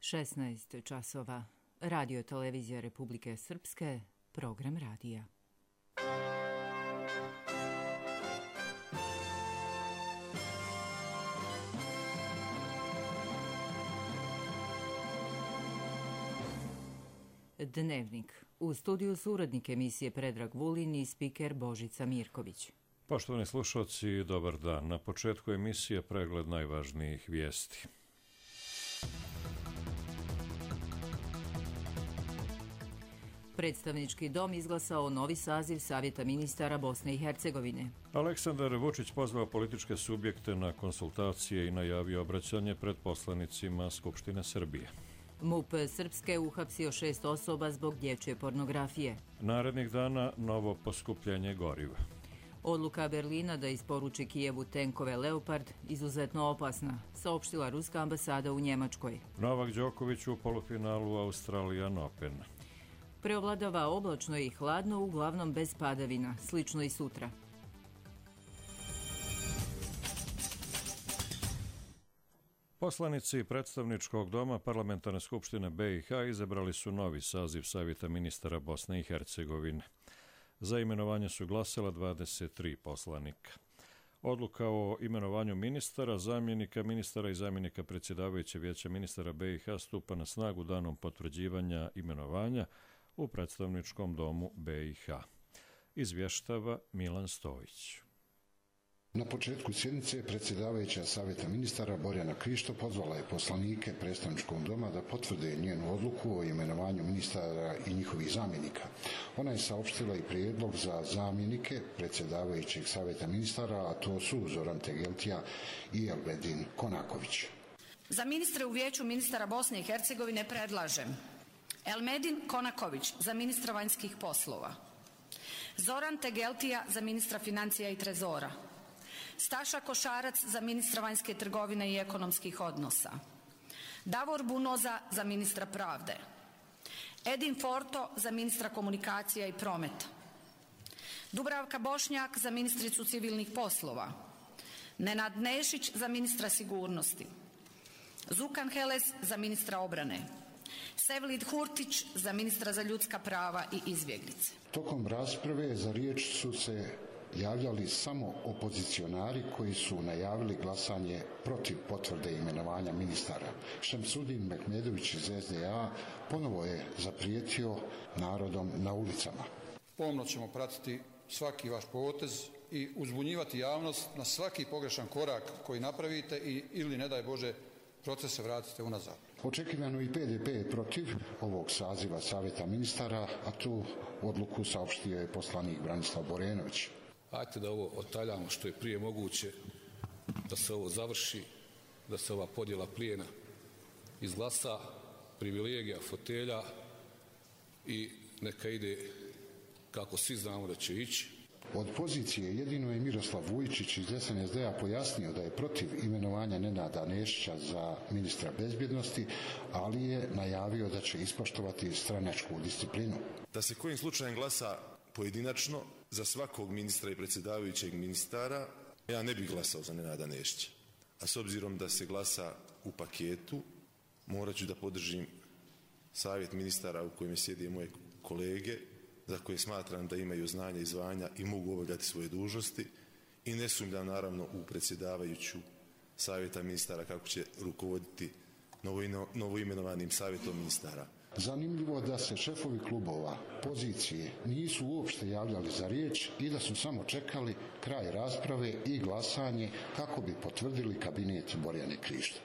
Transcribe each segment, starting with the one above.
16 časova. Radio televizija Republike Srpske, program radija. Dnevnik. U studiju su urednik emisije Predrag Vulin i spiker Božica Mirković. Poštovani slušalci, dobar dan. Na početku emisije pregled najvažnijih vijesti. Predstavnički dom izglasao novi saziv Savjeta ministara Bosne i Hercegovine. Aleksandar Vučić pozvao političke subjekte na konsultacije i najavio obraćanje pred poslanicima Skupštine Srbije. MUP Srpske uhapsio 6 osoba zbog dječje pornografije. Narednih dana novo poskupljenje goriva. Odluka Berlina da isporuči Kijevu tenkove Leopard izuzetno opasna, saopštila ruska ambasada u Njemačkoj. Novak Đoković u polufinalu Australian Open. Preovladava oblačno i hladno, uglavnom bez padavina, slično i sutra. Poslanici predstavničkog doma Parlamentarne skupštine BiH izabrali su novi saziv Savjeta ministara Bosne i Hercegovine. Za imenovanje su glasala 23 poslanika. Odluka o imenovanju ministara, zamjenika ministara i zamjenika predsjedavajuće vijeća ministara BiH stupa na snagu danom potvrđivanja imenovanja u predstavničkom domu BiH. Izvještava Milan Stojić. Na početku sjednice predsjedavajuća Savjeta ministara Borjana Krišto pozvala je poslanike predstavničkog doma da potvrde njenu odluku o imenovanju ministara i njihovih zamjenika. Ona je saopštila i prijedlog za zamjenike predsjedavajućeg Savjeta ministara, a to su Zoran Tegeltija i Elmedin Konaković. Za ministre u vijeću ministara Bosne i Hercegovine predlažem Elmedin Konaković za ministra vanjskih poslova, Zoran Tegeltija za ministra financija i trezora, Staša Košarac za ministra vanjske trgovine i ekonomskih odnosa, Davor Bunoza za ministra pravde, Edin Forto za ministra komunikacija i prometa, Dubravka Bošnjak za ministricu civilnih poslova, Nenad Nešić za ministra sigurnosti, Zukan Heles za ministra obrane, Sevlid Hurtić za ministra za ljudska prava i izbjeglice. Tokom rasprave za riječ su se javljali samo opozicionari koji su najavili glasanje protiv potvrde imenovanja ministara. Šemsudin Mehmedović iz SDA ponovo je zaprijetio narodom na ulicama. Pomno ćemo pratiti svaki vaš potez i uzbunjivati javnost na svaki pogrešan korak koji napravite ili ne daj Bože procese vratite unazad. Očekivano i PDP je protiv ovog saziva Savjeta ministara, a tu odluku saopštio je poslanik Branislav Borenović. Hajde da ovo otaljamo što je prije moguće, da se ovo završi, da se ova podjela plijena izglasa, privilegija, fotelja i neka ide kako svi znamo da će ići. Od pozicije jedino je Miroslav Vujčić iz SNSD-a pojasnio da je protiv imenovanja Nenada Nešića za ministra bezbjednosti, ali je najavio da će ispoštovati stranačku disciplinu. Da se kojim slučajem glasa pojedinačno za svakog ministra i predsjedavajućeg ministara, ja ne bih glasao za Nenada Nešića. A s obzirom da se glasa u paketu, morat ću da podržim savjet ministara u kojem sjede moje kolege, za koje smatram da imaju znanja i zvanja i mogu obavljati svoje dužnosti i ne sumnjam naravno u predsjedavajuću savjeta ministara kako će rukovoditi novoimenovanim savjetom ministara. Zanimljivo da se šefovi klubova pozicije nisu uopšte javljali za riječ i da su samo čekali kraj rasprave i glasanje kako bi potvrdili kabinet Borjane Krišto.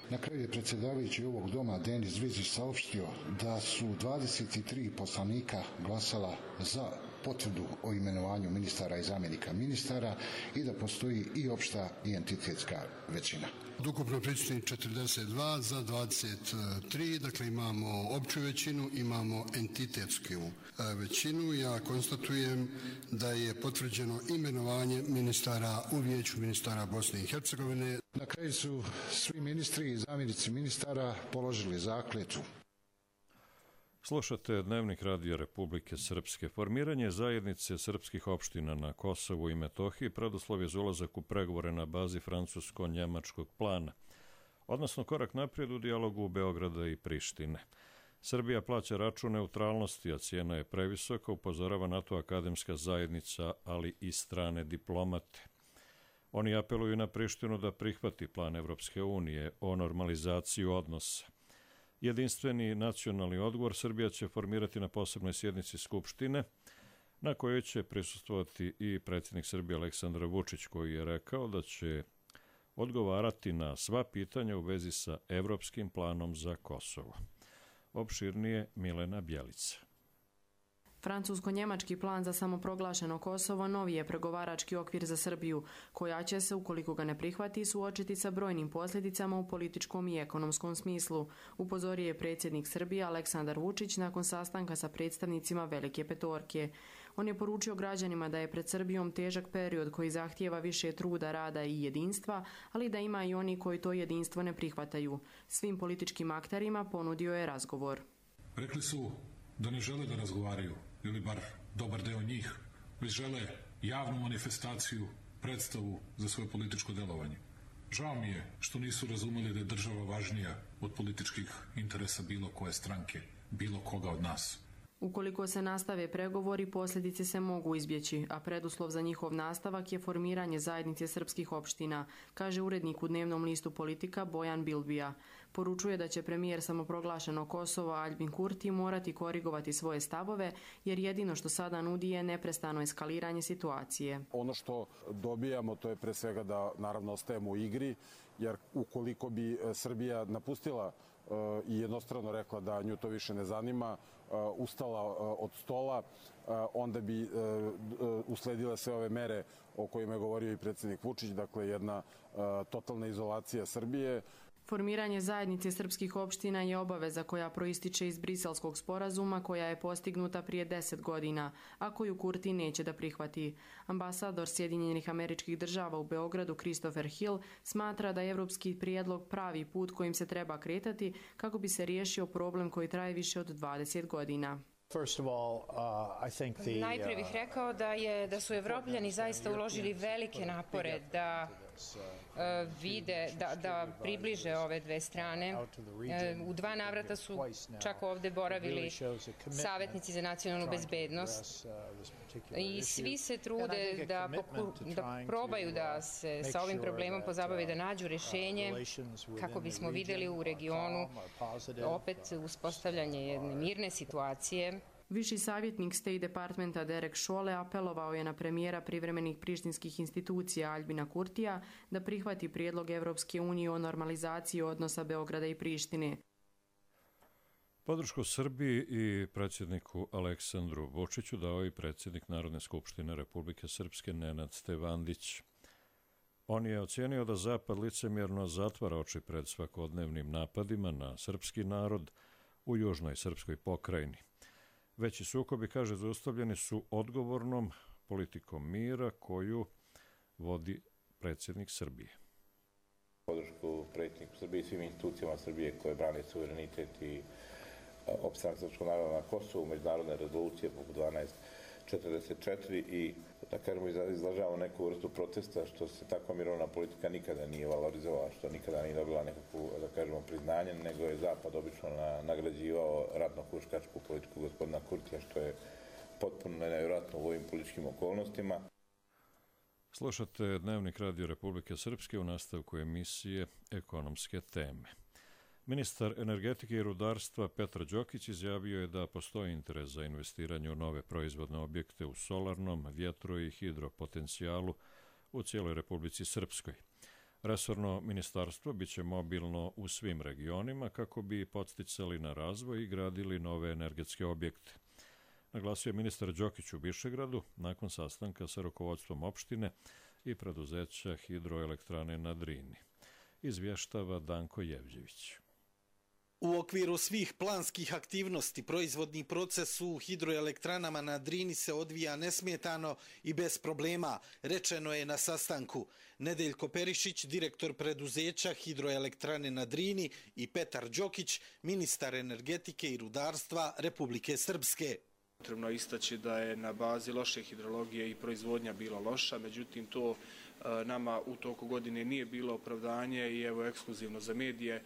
Na kraju je predsjedavajući ovog doma Denis Zvizić saopštio da su 23 poslanika glasala za potvrdu o imenovanju ministara i zamjenika ministara i da postoji i opšta i entitetska većina. Ukupno prisutni 42 za 23, dakle imamo opću većinu, imamo entitetsku većinu. Ja konstatujem da je potvrđeno imenovanje ministara u vijeću ministara Bosne i Hercegovine. Na kraju su svi ministri i zamjenici ministara položili zakletvu. Slušate Dnevnik Radija Republike Srpske. Formiranje zajednice srpskih opština na Kosovu i Metohiji preduslov je za ulazak u pregovore na bazi francusko-njemačkog plana. odnosno korak naprijed u dijalogu Beograda i Prištine. Srbija plaća račun neutralnosti, a cijena je previsoka, upozorava na to akademska zajednica, ali i strane diplomate. Oni apeluju na Prištinu da prihvati plan Evropske unije o normalizaciji odnosa. Jedinstveni nacionalni odgovor Srbija će formirati na posebnoj sjednici Skupštine, na kojoj će prisustvovati i predsjednik Srbije Aleksandar Vučić, koji je rekao da će odgovarati na sva pitanja u vezi sa evropskim planom za Kosovo. Opširnije Milena Bjelica. Francusko-njemački plan za samoproglašeno Kosovo novi je pregovarački okvir za Srbiju, koja će se, ukoliko ga ne prihvati, suočiti sa brojnim posljedicama u političkom i ekonomskom smislu, upozorio je predsjednik Srbije Aleksandar Vučić nakon sastanka sa predstavnicima Velike petorke. On je poručio građanima da je pred Srbijom težak period koji zahtijeva više truda, rada i jedinstva, ali da ima i oni koji to jedinstvo ne prihvataju. Svim političkim akterima ponudio je razgovor. Rekli su da ne žele da razgovaraju, ili bar dobar deo njih, već žele javnu manifestaciju, predstavu za svoje političko delovanje. Žao mi je što nisu razumeli da je država važnija od političkih interesa bilo koje stranke, bilo koga od nas. Ukoliko se nastave pregovori, posljedice se mogu izbjeći, a preduslov za njihov nastavak je formiranje zajednice srpskih opština, kaže urednik u dnevnom listu Politika Bojan Bilbija. Poručuje da će premijer samoproglašeno Kosova Aljbin Kurti morati korigovati svoje stavove, jer jedino što sada nudi je neprestano eskaliranje situacije. Ono što dobijamo to je pre svega da naravno ostajemo u igri, jer ukoliko bi Srbija napustila i jednostrano rekla da nju to više ne zanima, ustala od stola, onda bi usledile sve ove mere o kojima je govorio i predsjednik Vučić, dakle jedna totalna izolacija Srbije. Formiranje zajednice srpskih opština je obaveza koja proističe iz Briselskog sporazuma koja je postignuta prije 10 godina, a koju Kurti neće da prihvati. Ambasador Sjedinjenih Američkih Država u Beogradu Christopher Hill smatra da je evropski prijedlog pravi put kojim se treba kretati kako bi se riješio problem koji traje više od 20 godina. Najprije bih rekao da su Evropljani zaista uložili velike napore da vide, da približe ove dve strane. U 2 navrata su čak ovdje boravili savjetnici za nacionalnu bezbednost i svi se trude da probaju da se sa ovim problemom pozabave, da nađu rješenje kako bismo vidjeli u regionu opet uspostavljanje jedne mirne situacije. Viši savjetnik State Departmenta Derek Šole apelovao je na premijera privremenih prištinskih institucija Aljbina Kurtija da prihvati prijedlog Evropske unije o normalizaciji odnosa Beograda i Prištine. Podršku Srbiji i predsjedniku Aleksandru Vučiću dao i predsjednik Narodne skupštine Republike Srpske Nenad Stevandić. On je ocijenio da Zapad licemjerno zatvara oči pred svakodnevnim napadima na srpski narod u južnoj srpskoj pokrajini. Veći sukobi, kaže, zaustavljeni su odgovornom politikom mira koju vodi predsjednik Srbije. Podršku predsjedniku Srbije i svim institucijama Srbije koje brane suverenitet i opstanak srpskog naroda na Kosovu, međunarodne rezolucije poput 1244 i da kažemo izlažavamo neku vrstu protesta što se takva mirovna politika nikada nije valorizovala, što nikada nije dobila nekakvu, da kažemo, priznanje, nego je Zapad obično nagrađivao ratno-huškačku politiku gospodina Kurtija, što je potpuno nevjerojatno u ovim političkim okolnostima. Slušate Dnevnik Radio Republike Srpske u nastavku emisije Ekonomske teme. Ministar energetike i rudarstva Petar Đokić izjavio je da postoji interes za investiranje u nove proizvodne objekte u solarnom, vjetro i hidropotencijalu u cijeloj Republici Srpskoj. Resorno ministarstvo biće mobilno u svim regionima kako bi podsticali na razvoj i gradili nove energetske objekte. Naglasio je ministar Đokić u Višegradu nakon sastanka sa rukovodstvom opštine i preduzeća hidroelektrane na Drini. Izvještava Danko Jevđević. U okviru svih planskih aktivnosti proizvodni proces u hidroelektranama na Drini se odvija nesmetano i bez problema, rečeno je na sastanku. Nedeljko Perišić, direktor preduzeća hidroelektrane na Drini, i Petar Đokić, ministar energetike i rudarstva Republike Srpske. Potrebno je istaći da je na bazi loše hidrologije i proizvodnja bila loša, međutim to nama u toku godine nije bilo opravdanje i evo ekskluzivno za medije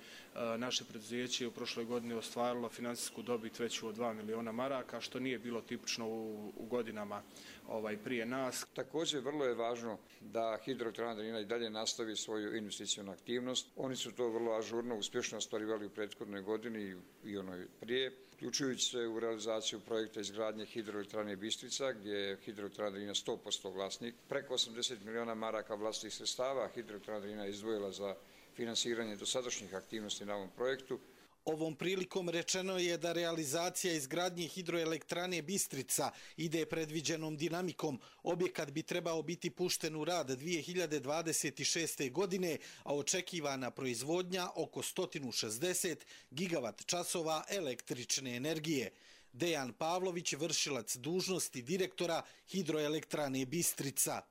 naše preduzeće je u prošloj godini ostvarilo financijsku dobit veću od 2 miliona maraka, što nije bilo tipično u godinama prije nas. Također vrlo je važno da Hidroelektrana Drina i dalje nastavi svoju investicijnu aktivnost. Oni su to vrlo ažurno, uspješno ostvarivali u prethodnoj godini i onoj prije, uključujući se u realizaciju projekta izgradnje Hidroelektrane Bistrica, gdje je Hidroelektrana Drina 100% vlasnik. Preko 80 miliona maraka vlastitih sredstava Hidroelektrana Drina izdvojila za finansiranje dosadašnjih aktivnosti na ovom projektu. Ovom prilikom rečeno je da realizacija izgradnje hidroelektrane Bistrica ide predviđenom dinamikom. Objekat bi trebao biti pušten u rad 2026. godine, a očekivana proizvodnja oko 160 gigavat časova električne energije. Dejan Pavlović, vršilac dužnosti direktora hidroelektrane Bistrica.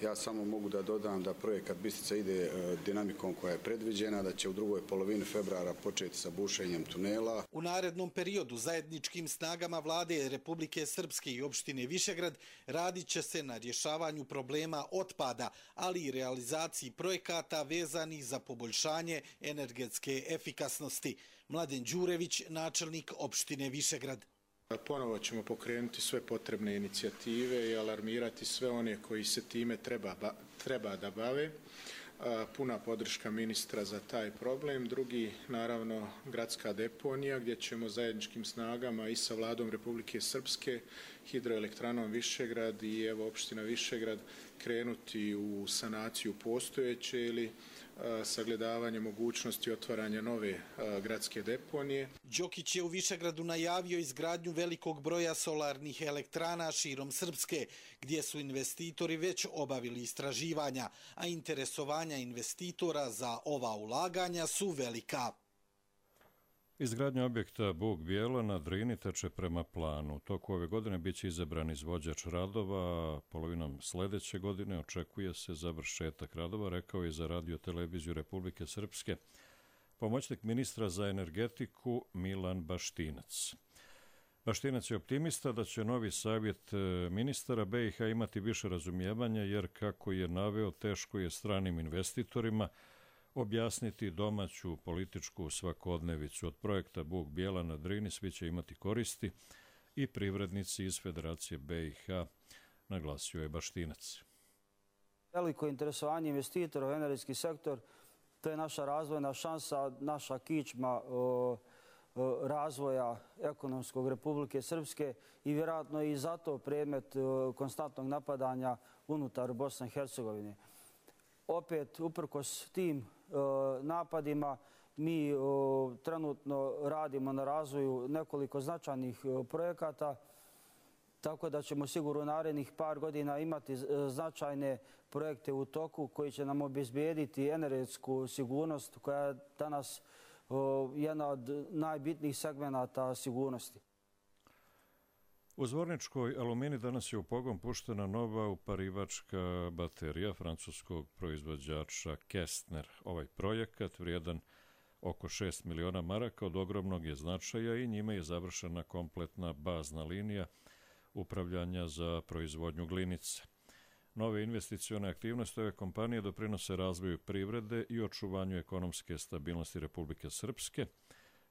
Ja samo mogu da dodam da projekat Bistrica ide dinamikom koja je predviđena, da će u drugoj polovini februara početi sa bušenjem tunela. U narednom periodu zajedničkim snagama vlade Republike Srpske i opštine Višegrad radit će se na rješavanju problema otpada, ali i realizaciji projekata vezanih za poboljšanje energetske efikasnosti. Mladen Đurević, načelnik opštine Višegrad. Ponovo ćemo pokrenuti sve potrebne inicijative i alarmirati sve one koji se time treba da bave. Puna podrška ministra za taj problem. Drugi, naravno, gradska deponija gdje ćemo zajedničkim snagama i sa vladom Republike Srpske, Hidroelektranom Višegrad i evo opština Višegrad krenuti u sanaciju postojeće ili sagledavanje mogućnosti otvaranja nove gradske deponije. Đokić je u Višegradu najavio izgradnju velikog broja solarnih elektrana širom Srpske, gdje su investitori već obavili istraživanja, a interesovanja investitora za ova ulaganja su velika. Izgradnja objekta Buk Bijela na Drini teče prema planu. U toku ove godine biće izabran izvođač radova, polovinom sljedeće godine očekuje se završetak radova, rekao je za Radio Televiziju Republike Srpske pomoćnik ministra za energetiku Milan Baštinac. Baštinac je optimista da će novi savjet ministara BiH imati više razumijevanja, jer kako je naveo, teško je stranim investitorima objasniti domaću političku svakodnevicu. Od projekta Buk Bijela na Drini svi će imati koristi i privrednici iz Federacije BiH, naglasio je Baštinac. Veliko interesovanje investitora u energetski sektor, to je naša razvojna šansa, naša kičma razvoja ekonomskog Republike Srpske i vjerojatno i zato predmet konstantnog napadanja unutar Bosne i Hercegovine. Opet, uprkos tim napadima, mi trenutno radimo na razvoju nekoliko značajnih projekata, tako da ćemo sigurno u narednih par godina imati značajne projekte u toku koji će nam obezbijediti energetsku sigurnost koja je danas jedna od najbitnijih segmenata sigurnosti. U Zvorničkoj Alumini danas je u pogon puštena nova uparivačka baterija francuskog proizvođača Kestner. Ovaj projekat, vrijedan oko 6 miliona maraka, od ogromnog je značaja i njime je završena kompletna bazna linija upravljanja za proizvodnju glinice. Nove investicione aktivnosti ove kompanije doprinose razvoju privrede i očuvanju ekonomske stabilnosti Republike Srpske,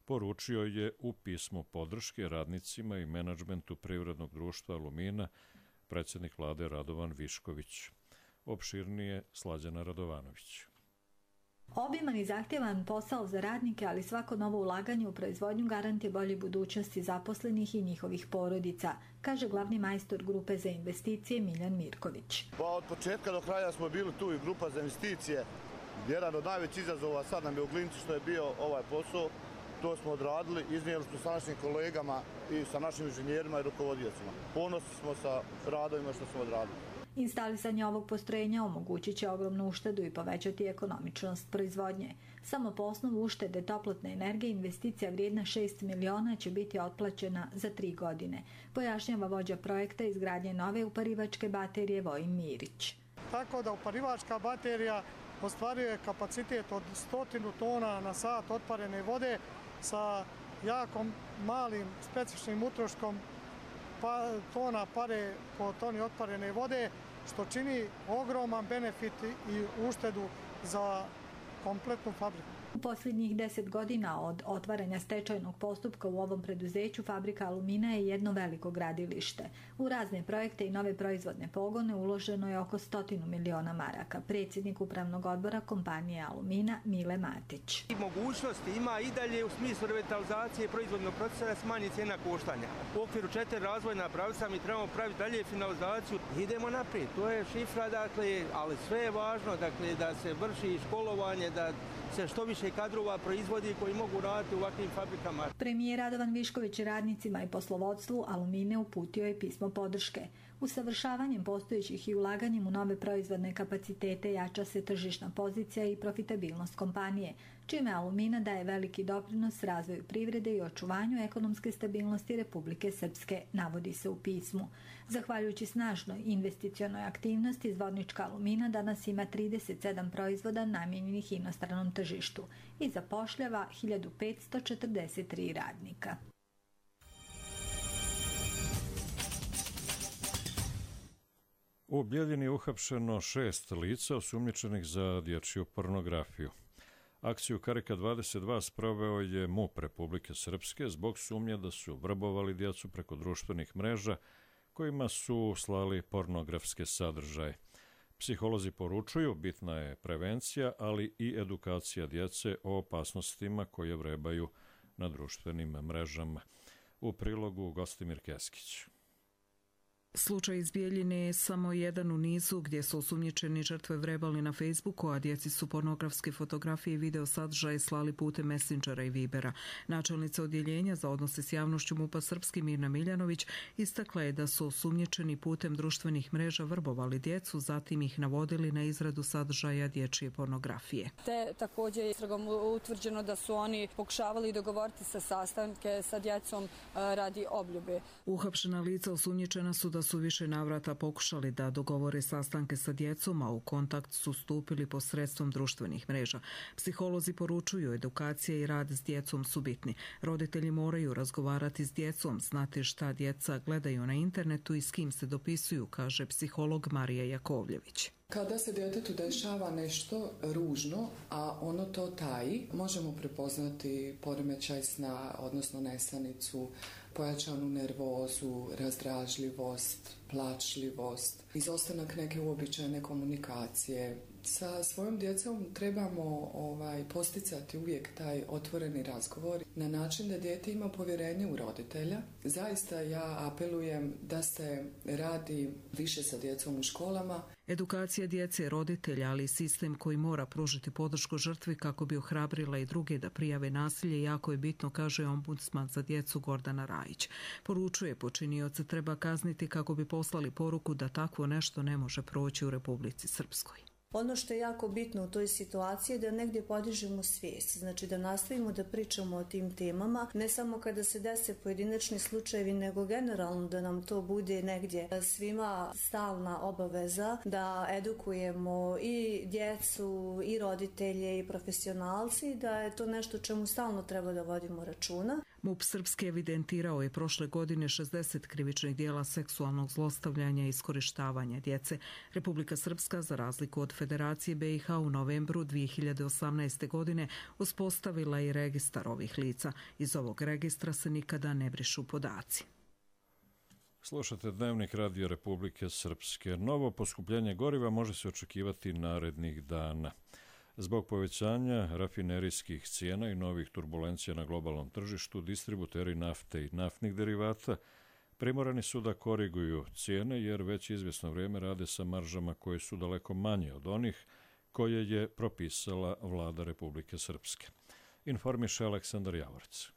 poručio je u pismu podrške radnicima i menadžmentu privrednog društva Alumina predsjednik vlade Radovan Višković. Opširnije Slađana Radovanović. Obiman i zahtjevan posao za radnike, ali svako novo ulaganje u proizvodnju garantuje bolje budućnosti zaposlenih i njihovih porodica, kaže glavni majstor grupe za investicije Miljan Mirković. Od početka do kraja smo bili tu i grupa za investicije. Jedan od najvećih izazova sad nam je u Glinici što je bio ovaj posao. To smo odradili, iznijeli smo sa našim kolegama i sa našim inženjerima i rukovodiocima. Ponosni smo sa radovima što smo odradili. Instalisanje ovog postrojenja omogućit će ogromnu uštedu i povećati ekonomičnost proizvodnje. Samo po osnovu uštede toplotne energije investicija vrijedna 6 miliona će biti otplaćena za 3 godine, pojašnjava vođa projekta izgradnje nove uparivačke baterije Vojin Mirić. Tako da uparivačka baterija ostvaruje kapacitet od 100 tona na sat otparene vode sa jako malim specifičnim utroškom tona pare po toni otparene vode što čini ogroman benefit i uštedu za kompletnu fabriku. U posljednjih 10 godina od otvaranja stečajnog postupka u ovom preduzeću fabrika Alumina je jedno veliko gradilište. U razne projekte i nove proizvodne pogone uloženo je oko 100 miliona maraka. Predsjednik upravnog odbora kompanije Alumina Mile Matić. Mogućnosti ima i dalje u smislu revitalizacije proizvodnog procesa da smanji cijena koštanja. U okviru 4 razvojna pravca mi trebamo praviti dalje finalizaciju. Idemo naprijed, to je šifra, dakle, ali sve je važno, dakle, da se vrši školovanje, da se što više kadrova proizvodi koji mogu raditi u ovakvim fabrikama. Premijer Radovan Višković radnicima i poslovodstvu Alumine uputio je pismo podrške. Usavršavanjem postojećih i ulaganjem u nove proizvodne kapacitete jača se tržišna pozicija i profitabilnost kompanije, čime Alumina daje veliki doprinos razvoju privrede i očuvanju ekonomske stabilnosti Republike Srpske, navodi se u pismu. Zahvaljujući snažnoj investicionoj aktivnosti, Zvornička Alumina danas ima 37 proizvoda namijenjenih inostranom tržištu i zapošljava 1543 radnika. U Bijeljini je uhapšeno 6 lica osumnjičenih za dječju pornografiju. Akciju Karika 22 sproveo je MUP Republike Srpske zbog sumnje da su vrbovali djecu preko društvenih mreža kojima su slali pornografske sadržaje. Psiholozi poručuju, bitna je prevencija, ali i edukacija djece o opasnostima koje vrebaju na društvenim mrežama. U prilogu Gostimir Keskić. Slučaj iz Bijeljine je samo jedan u nizu gdje su osumnjičeni žrtve vrebali na Facebooku, a djeci su pornografske fotografije i video sadržaje slali putem Messengera i Vibera. Načelnica odjeljenja za odnose s javnošću MUP-a Srpski Mirna Miljanović istakla je da su osumnjičeni putem društvenih mreža vrbovali djecu, zatim ih navodili na izradu sadržaja dječje pornografije. Te također je istragom utvrđeno da su oni pokušavali dogovoriti se sastanke sa djecom radi obljube. Uhapšena lica osumnjičena su da su više navrata pokušali da dogovore sastanke sa djecom, a u kontakt su stupili posredstvom društvenih mreža. Psiholozi poručuju, edukacija i rad s djecom su bitni. Roditelji moraju razgovarati s djecom, znati šta djeca gledaju na internetu i s kim se dopisuju, kaže psiholog Marija Jakovljević. Kada se djetetu dešava nešto ružno, a ono to taji, možemo prepoznati poremećaj sna, odnosno nesanicu, pojačanu nervozu, razdražljivost, plačljivost, izostanak neke uobičajene komunikacije. Sa svojom djecom trebamo posticati uvijek taj otvoreni razgovor na način da dijete ima povjerenje u roditelja. Zaista ja apelujem da se radi više sa djecom u školama. Edukacija djece, roditelja, ali i sistem koji mora pružiti podršku žrtvi kako bi ohrabrila i druge da prijave nasilje jako je bitno, kaže ombudsman za djecu Gordana Rajić. Poručuje, počinioce treba kazniti kako bi poslali poruku da takvo nešto ne može proći u Republici Srpskoj. Ono što je jako bitno u toj situaciji je da negdje podižemo svijest, znači da nastavimo da pričamo o tim temama, ne samo kada se dese pojedinačni slučajevi, nego generalno da nam to bude negdje svima stalna obaveza, da edukujemo i djecu, i roditelje, i profesionalci, da je to nešto čemu stalno treba da vodimo računa. MUP Srpski evidentirao je prošle godine 60 krivičnih dijela seksualnog zlostavljanja i iskorištavanja djece. Republika Srpska, za razliku od Federacije BiH, u novembru 2018. godine uspostavila i registar ovih lica. Iz ovog registra se nikada ne brišu podaci. Slušate Dnevnik Radio Republike Srpske. Novo poskupljenje goriva može se očekivati narednih dana. Zbog povećanja rafinerijskih cijena i novih turbulencija na globalnom tržištu, distributeri nafte i naftnih derivata primorani su da koriguju cijene jer već izvjesno vrijeme rade sa maržama koje su daleko manje od onih koje je propisala vlada Republike Srpske. Informiše Aleksandar Javorec.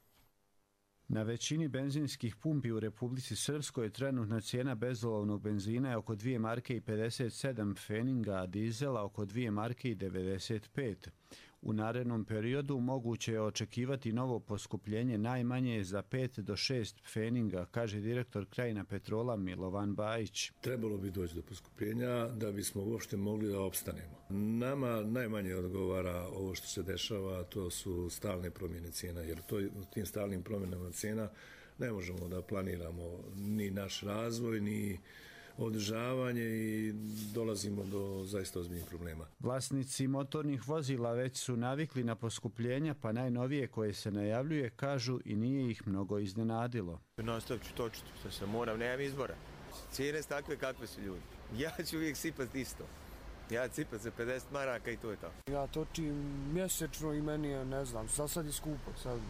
Na većini benzinskih pumpi u Republici Srpskoj trenutna cijena bezolovnog benzina je oko 2 marke i 57 pfeninga, a dizela oko 2 marke i 95. U narednom periodu moguće je očekivati novo poskupljenje najmanje za 5 do 6 pfeninga, kaže direktor Krajina Petrola Milovan Bajić. Trebalo bi doći do poskupljenja da bismo uopšte mogli da opstanemo. Nama najmanje odgovara ovo što se dešava, to su stalne promjene cijena, jer tim stalnim promjenama cijena ne možemo da planiramo ni naš razvoj, ni održavanje i dolazimo do zaista ozbiljnih problema. Vlasnici motornih vozila već su navikli na poskupljenja, pa najnovije koje se najavljuje kažu i nije ih mnogo iznenadilo. Nastavit ću točiti, što se moram, nemam izbora. Cijene su takve kakve su ljudi. Ja ću uvijek sipati isto. Ja cipam se 50 maraka i to je to. Ja točim mjesečno i meni je, ne znam, za sad je skupo. Sad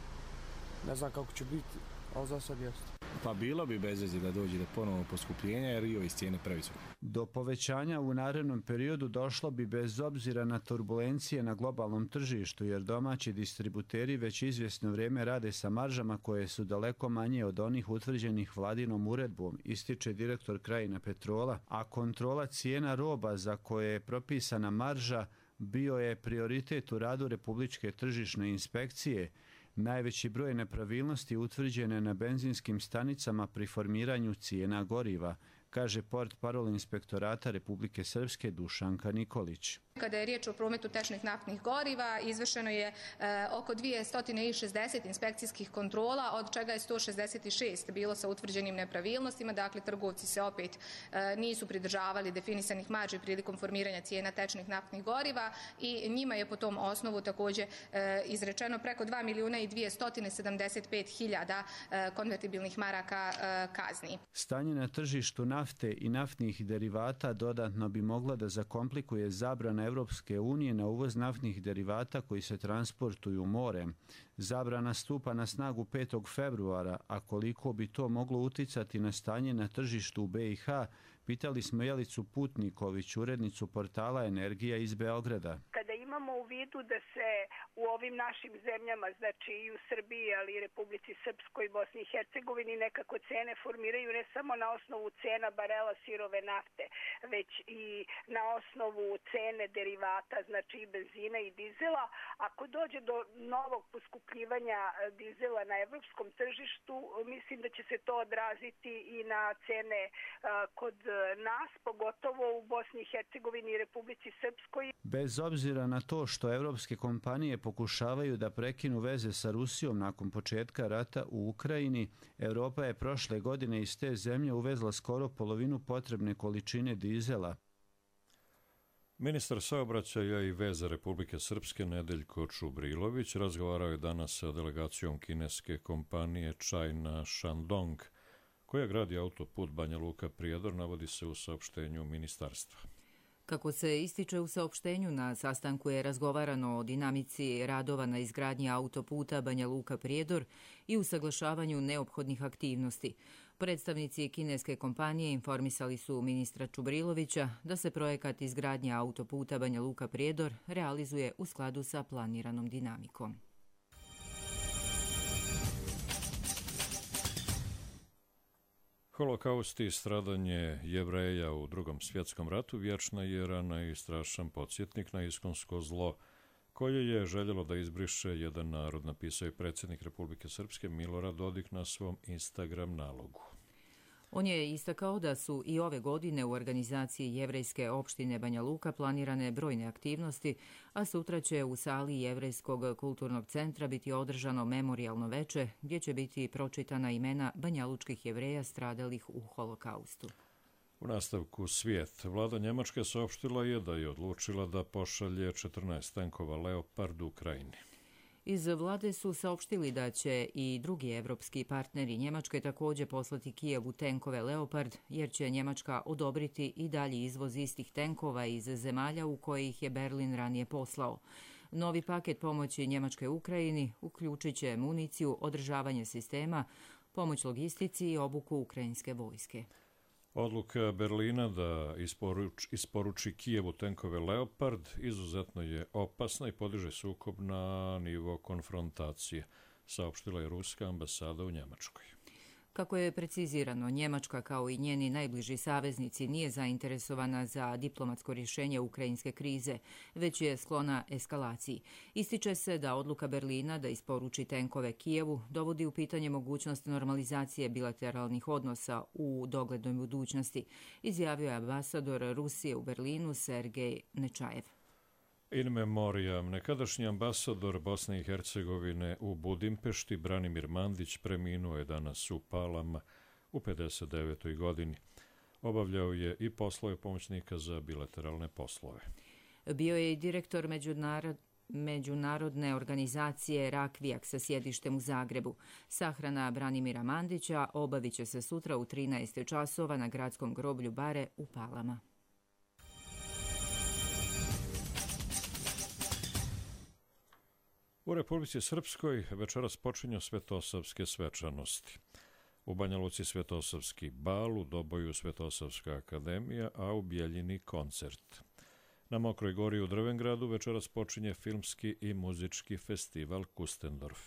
ne znam kako će biti, ali za sad jeste. Pa bilo bi bez veze da dođe do ponovnog poskupljenja jer i cijene previsoke. Do povećanja u narednom periodu došlo bi bez obzira na turbulencije na globalnom tržištu jer domaći distributeri već izvjesno vrijeme rade sa maržama koje su daleko manje od onih utvrđenih vladinom uredbom, ističe direktor Krajina Petrola, a kontrola cijena roba za koje je propisana marža bio je prioritet u radu Republičke tržišne inspekcije. Najveći broj nepravilnosti utvrđene na benzinskim stanicama pri formiranju cijena goriva, kaže portparol Inspektorata Republike Srpske Dušanka Nikolić. Kada je riječ o prometu tečnih naftnih goriva, izvršeno je oko 260 inspekcijskih kontrola, od čega je 166 bilo sa utvrđenim nepravilnostima. Dakle, trgovci se opet nisu pridržavali definisanih marži prilikom formiranja cijena tečnih naftnih goriva i njima je po tom osnovu također izrečeno preko 2.275.000 konvertibilnih maraka kazni. Stanje na tržištu nafte i naftnih derivata dodatno bi moglo da zakomplikuje zabrana Evropske unije na uvoz naftnih derivata koji se transportuju morem. Zabrana stupa na snagu 5. februara, a koliko bi to moglo uticati na stanje na tržištu u BiH, pitali smo Jelicu Putniković, urednicu portala Energija iz Beograda. Kada imamo u vidu da se u ovim našim zemljama, znači i u Srbiji, ali i Republici Srpskoj i Bosni i Hercegovini, nekako cene formiraju ne samo na osnovu cena barela sirove nafte, već i na osnovu cene derivata, znači i benzina i dizela. Ako dođe do novog poskupljivanja dizela na evropskom tržištu, mislim da će se to odraziti i na cene kod nas, pogotovo u Bosni i Hercegovini i Republici Srpskoj. Bez obzira na to što evropske kompanije pokušavaju da prekinu veze sa Rusijom nakon početka rata u Ukrajini, Evropa je prošle godine iz te zemlje uvezla skoro polovinu potrebne količine dizela. Ministar saobraćaja i veza Republike Srpske Nedeljko Čubrilović razgovarao je danas sa delegacijom kineske kompanije China Shandong, koja gradi autoput Banja Luka-Prijedor, navodi se u saopštenju ministarstva. Kako se ističe u saopštenju, na sastanku je razgovarano o dinamici radova na izgradnji autoputa Banja Luka-Prijedor i usaglašavanju neophodnih aktivnosti. Predstavnici kineske kompanije informisali su ministra Čubrilovića da se projekat izgradnje autoputa Banja Luka-Prijedor realizuje u skladu sa planiranom dinamikom. Holokaust i stradanje Jevreja u Drugom svjetskom ratu vječna je rana i strašan podsjetnik na iskonsko zlo koje je željelo da izbriše jedan narod, napisao je predsjednik Republike Srpske Milorad Dodik na svom Instagram nalogu. On je istakao da su i ove godine u organizaciji Jevrejske opštine Banja Luka planirane brojne aktivnosti, a sutra će u sali Jevrejskog kulturnog centra biti održano memorijalno veče gdje će biti pročitana imena banjalučkih Jevreja stradalih u Holokaustu. U nastavku svijet, vlada Njemačke saopštila je da je odlučila da pošalje 14 tenkova Leopard u Ukrajini. Iz vlade su saopštili da će i drugi evropski partneri Njemačke također poslati Kijevu tenkove Leopard, jer će Njemačka odobriti i dalji izvoz istih tenkova iz zemalja u koje ih je Berlin ranije poslao. Novi paket pomoći Njemačkoj Ukrajini uključit će municiju, održavanje sistema, pomoć logistici i obuku ukrajinske vojske. Odluka Berlina da isporuči Kijevu tenkove Leopard izuzetno je opasna i podiže sukob na nivo konfrontacije, saopštila je ruska ambasada u Njemačkoj. Kako je precizirano, Njemačka kao i njeni najbliži saveznici nije zainteresovana za diplomatsko rješenje ukrajinske krize, već je sklona eskalaciji. Ističe se da odluka Berlina da isporuči tenkove Kijevu dovodi u pitanje mogućnost normalizacije bilateralnih odnosa u doglednoj budućnosti, izjavio je ambasador Rusije u Berlinu Sergej Nečajev. In memoriam, nekadašnji ambasador Bosne i Hercegovine u Budimpešti Branimir Mandić preminuo je danas u Palama u 59. godini. Obavljao je i poslove pomoćnika za bilateralne poslove. Bio je i direktor međunarodne organizacije Rakvijak sa sjedištem u Zagrebu. Sahrana Branimira Mandića obavit će se sutra u 13 časova na gradskom groblju Bare u Palama. U Republici Srpskoj večeras počinju Svetosavske svečanosti. U Banja Luci Svetosavski bal, u Doboju Svetosavska akademija, a u Bjeljini koncert. Na Mokroj gori u Drvengradu večeras počinje filmski i muzički festival Kustendorf.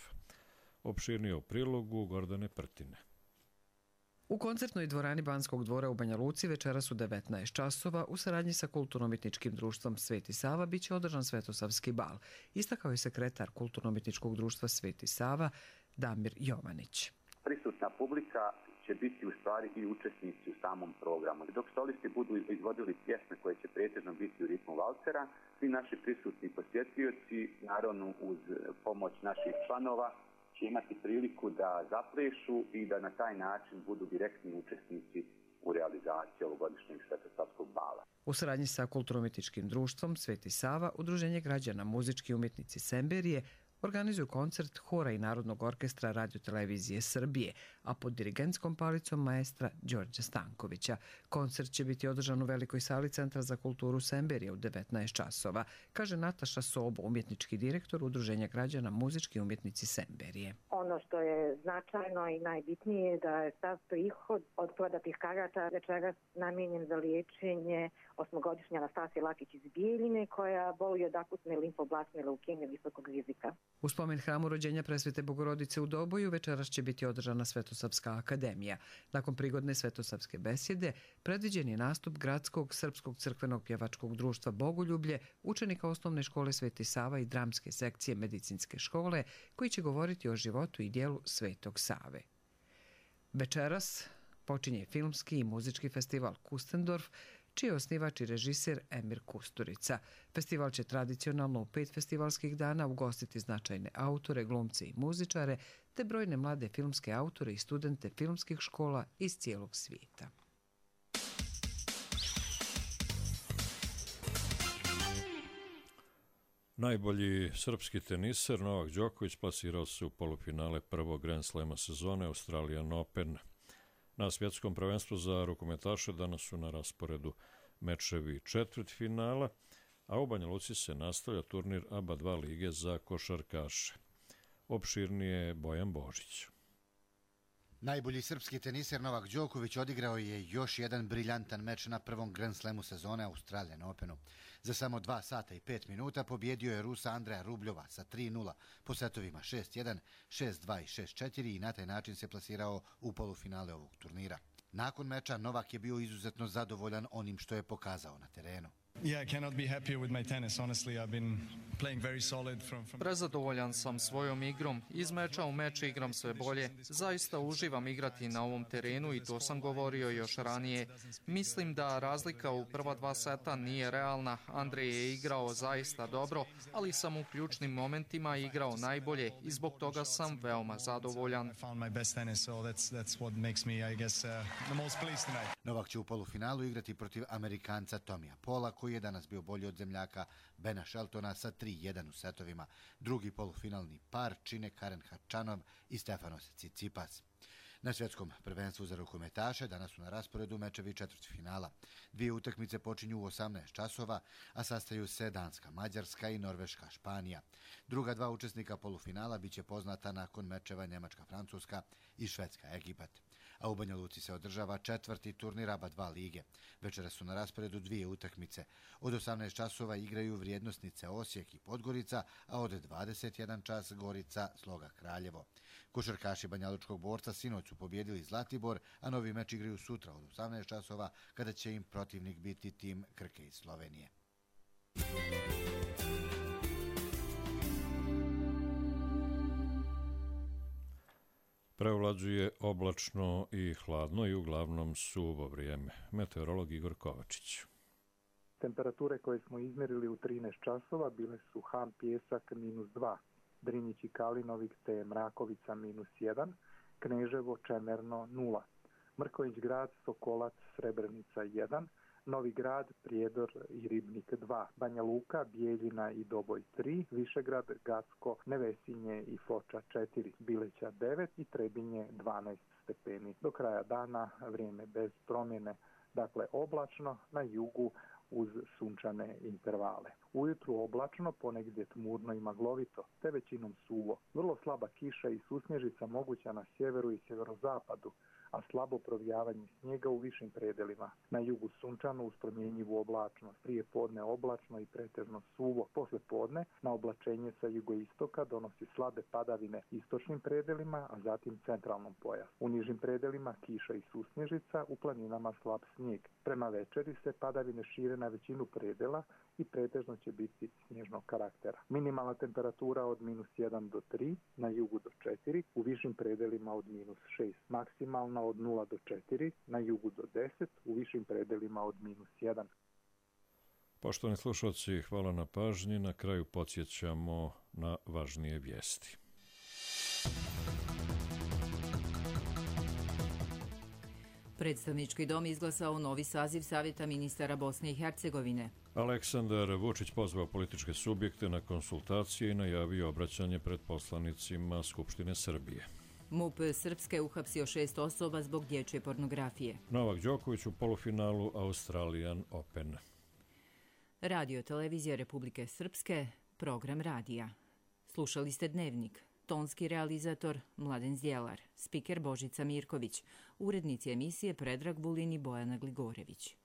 Opširnije u prilogu Gordane Prtine. U koncertnoj dvorani Banskog dvora u Banja Luci večeras u 19 časova u saradnji sa Kulturno-umjetničkim društvom Sveti Sava biće održan Svetosavski bal, istakao je sekretar Kulturno-umjetničkog društva Sveti Sava Damir Jovanić. Prisutna publika će biti u stvari i učesnici u samom programu. Dok solisti budu izvodili pjesme koje će pretežno biti u ritmu valcera, svi naši prisutni posjetioci, naravno uz pomoć naših članova, će imati priliku da zaplešu i da na taj način budu direktni učesnici u realizaciji ovogodišnjeg Svetosavskog bala. U saradnji sa Kulturno-umjetničkim društvom Sveti Sava, Udruženje građana muzički umjetnici Semberije organizuju koncert Hora i Narodnog orkestra Radiotelevizije Srbije, a pod dirigentskom palicom maestra Đorđa Stankovića. Koncert će biti održan u velikoj sali Centra za kulturu Semberije u 19 časova, kaže Nataša Sobo, umjetnički direktor Udruženja građana muzički umjetnici Semberije. Ono što je značajno i najbitnije je da je sav prihod od prodatih karata večeras namijenjen za liječenje 8-godišnje Anastasije Lakić iz Bijeljine, koja boluje od akutne limfoblastne leukemije visokog rizika. U spomen hramu rođenja Presvete Bogorodice u Doboju večeras će biti održana Svetosavska akademija. Nakon prigodne Svetosavske besjede predviđen je nastup Gradskog srpskog crkvenog pjevačkog društva Bogoljublje, učenika osnovne škole Sveti Sava i dramske sekcije medicinske škole, koji će govoriti o životu i dijelu Svetog Save. Večeras počinje filmski i muzički festival Kustendorf, čiji je osnivač i režiser Emir Kusturica. Festival će tradicionalno u 5 festivalskih dana ugostiti značajne autore, glumce i muzičare, te brojne mlade filmske autore i studente filmskih škola iz cijelog svijeta. Najbolji srpski teniser Novak Đoković plasirao se u polufinale prvog Grand Slema sezone Australian Open. Na svjetskom prvenstvu za rukometaše danas su na rasporedu mečevi četvrtfinala, a u Banja Luci se nastavlja turnir ABA 2 lige za košarkaše. Opširnije Bojan Božić. Najbolji srpski teniser Novak Đoković odigrao je još jedan briljantan meč na prvom Grand Slamu sezone Australian Openu. Za samo 2 sata i 5 minuta pobjedio je Rusa Andreja Rubljova sa 3:0 po setovima 6:1, 6:2 i 6:4 i na taj način se plasirao u polufinale ovog turnira. Nakon meča Novak je bio izuzetno zadovoljan onim što je pokazao na terenu. Prezadovoljan sam svojom igrom. Iz meča u meč igram sve bolje. Zaista uživam igrati na ovom terenu i to sam govorio još ranije. Mislim da razlika u prva 2 seta nije realna. Andrej je igrao zaista dobro, ali sam u ključnim momentima igrao najbolje i zbog toga sam veoma zadovoljan. Novak će u polufinalu igrati protiv Amerikanca Tomija Pola, koji je danas bio bolji od zemljaka Bena Sheltona sa 3:1 u setovima. Drugi polufinalni par čine Karen Hačanov i Stefanos Tsitsipas. Na svjetskom prvenstvu za rukometaše danas su na rasporedu mečevi četvrtfinala. 2 utakmice počinju u 18 časova, a sastaju se Danska, Mađarska i Norveška, Španija. Druga 2 učesnika polufinala biće poznata nakon mečeva Njemačka, Francuska i Švedska, Egipat. A u Banja Luci se održava 4. turnir ABA 2 lige. Večera su na rasporedu 2 utakmice. Od 18 časova igraju vrijednosnice Osijek i Podgorica, a od 21 čas Gorica, Sloga, Kraljevo. Košarkaši banjalučkog borca sinoć su pobjedili Zlatibor, a novi meč igraju sutra od 18 časova, kada će im protivnik biti tim Krke iz Slovenije. Prevlađuje oblačno i hladno i uglavnom suvo vrijeme. Meteorolog Igor Kovačić. Temperature koje smo izmjerili u 13 časova bile su Ham Pjesak -2, Drinjić i Kalinovik te Mrakovica -1, Kneževo Čemerno 0. Mrkonjić Grad, Sokolac, Srebrenica 1, Novi Grad, Prijedor i Ribnik 2, Banja Luka, Bijeljina i Doboj 3, Višegrad, Gacko, Nevesinje i Foča 4, Bileća 9 i Trebinje 12 stepeni. Do kraja dana vrijeme bez promjene, dakle oblačno, na jugu uz sunčane intervale. Ujutru oblačno, ponegdje tmurno i maglovito, te većinom suvo. Vrlo slaba kiša i susnježica moguća na sjeveru i sjeverozapadu, a slabo provijavanje snijega u višim predelima. Na jugu sunčano uz promjenjivu oblačnost, prije podne oblačno i pretežno suvo. Posle podne na oblačenje sa jugoistoka donosi slabe padavine istočnim predelima, a zatim centralnom pojasu. U nižim predelima kiša i susnježica, u planinama slab snijeg. Prema večeri se padavine šire na većinu predela i pretežno će biti snježnog karaktera. Minimalna temperatura od -1 do 3, na jugu do 4, u višim predelima od -6. Maksimalna od 0 do 4, na jugu do 10, u višim predelima od -1. Poštovani slušalci, hvala na pažnji. Na kraju podsjećamo na važnije vijesti. Predstavnički dom izglasao novi saziv Savjeta ministara Bosne i Hercegovine. Aleksandar Vučić pozvao političke subjekte na konsultacije i najavio obraćanje pred poslanicima Skupštine Srbije. MUP Srpske uhapsio 6 osoba zbog dječje pornografije. Novak Đoković u polufinalu Australian Open. Radio Televizija Republike Srpske, program radija. Slušali ste Dnevnik. Tonski realizator Mladen Zdjelar, spiker Božica Mirković, urednici emisije Predrag Vulin i Bojana Gligorević.